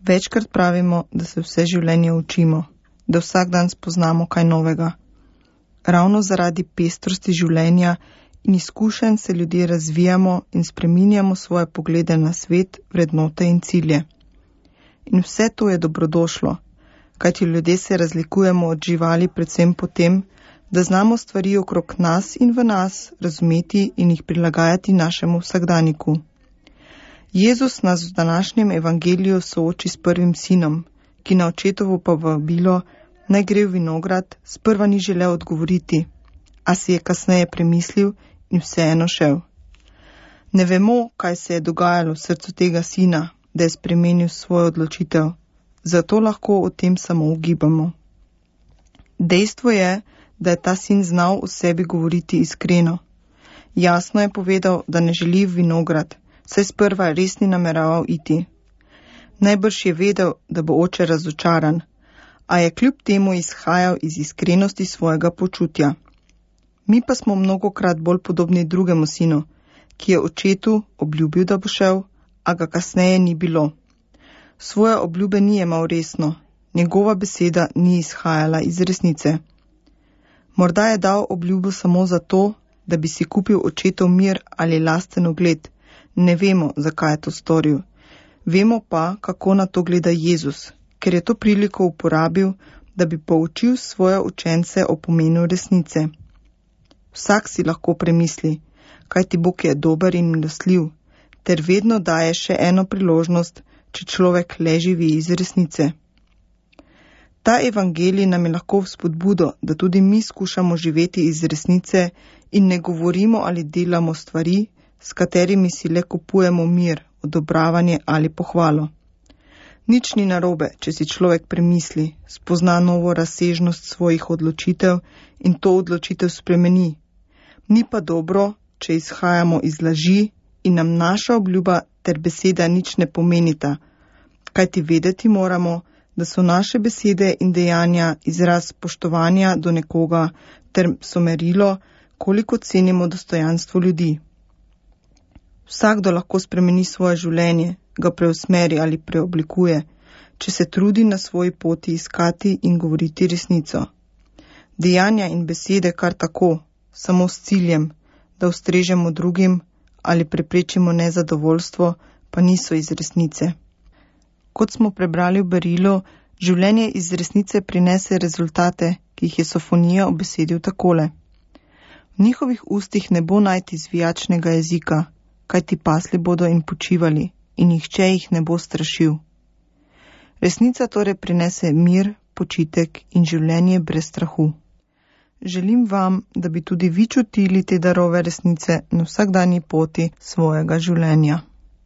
Večkrat pravimo, da se vse življenje učimo, da vsak dan spoznamo kaj novega. Ravno zaradi pestrosti življenja in izkušenj se ljudje razvijamo in spreminjamo svoje poglede na svet, vrednote in cilje. In vse to je dobrodošlo, kajti ljudje se razlikujemo od živali predvsem po tem, da znamo stvari okrog nas in v nas razumeti in jih prilagajati našemu vsakdaniku. Jezus nas v današnjem evangeliju sooči s prvim sinom, ki na očetovo povabilo, naj gre v vinograd, sprva ni želel odgovoriti, a si je kasneje premislil in vseeno šel. Ne vemo, kaj se je dogajalo v srcu tega sina, da je spremenil svojo odločitev, zato lahko o tem samo ugibamo. Dejstvo je, da je ta sin znal o sebi govoriti iskreno. Jasno je povedal, da ne želi v vinograd, saj sprva res ni nameraval iti. Najbrž je vedel, da bo oče razočaran, a je kljub temu izhajal iz iskrenosti svojega počutja. Mi pa smo mnogokrat bolj podobni drugemu sinu, ki je očetu obljubil, da bo šel, a ga kasneje ni bilo. Svoje obljube ni jemal resno, njegova beseda ni izhajala iz resnice. Morda je dal obljubo samo zato, da bi si kupil očetov mir ali lasten ugled. Ne vemo, zakaj je to storil. Vemo pa, kako na to gleda Jezus, ker je to priliko uporabil, da bi poučil svoje učence o pomenu resnice. Vsak si lahko premisli, kajti Bog je dober in milostljiv, ter vedno daje še eno priložnost, če človek le živi iz resnice. Ta evangelij nam je lahko vzpodbudo, da tudi mi skušamo živeti iz resnice in ne govorimo ali delamo stvari, s katerimi si le kupujemo mir, odobravanje ali pohvalo. Nič ni narobe, če si človek premisli, spozna novo razsežnost svojih odločitev in to odločitev spremeni. Ni pa dobro, če izhajamo iz laži in nam naša obljuba ter beseda nič ne pomenita, kajti vedeti moramo, da so naše besede in dejanja izraz spoštovanja do nekoga ter so merilo, koliko cenimo dostojanstvo ljudi. Vsakdo lahko spremeni svoje življenje, ga preusmeri ali preoblikuje, če se trudi na svoji poti iskati in govoriti resnico. Dejanja in besede kar tako, samo s ciljem, da ustrežemo drugim ali preprečimo nezadovoljstvo, pa niso iz resnice. Kot smo prebrali v berilu, življenje iz resnice prinese rezultate, ki jih je Sofonija obesedil takole. V njihovih ustih ne bo najti zvijačnega jezika, kajti pasli bodo in počivali, in nihče jih ne bo strašil. Resnica torej prinese mir, počitek in življenje brez strahu. Želim vam, da bi tudi vi čutili te darove resnice na vsakdanji poti svojega življenja.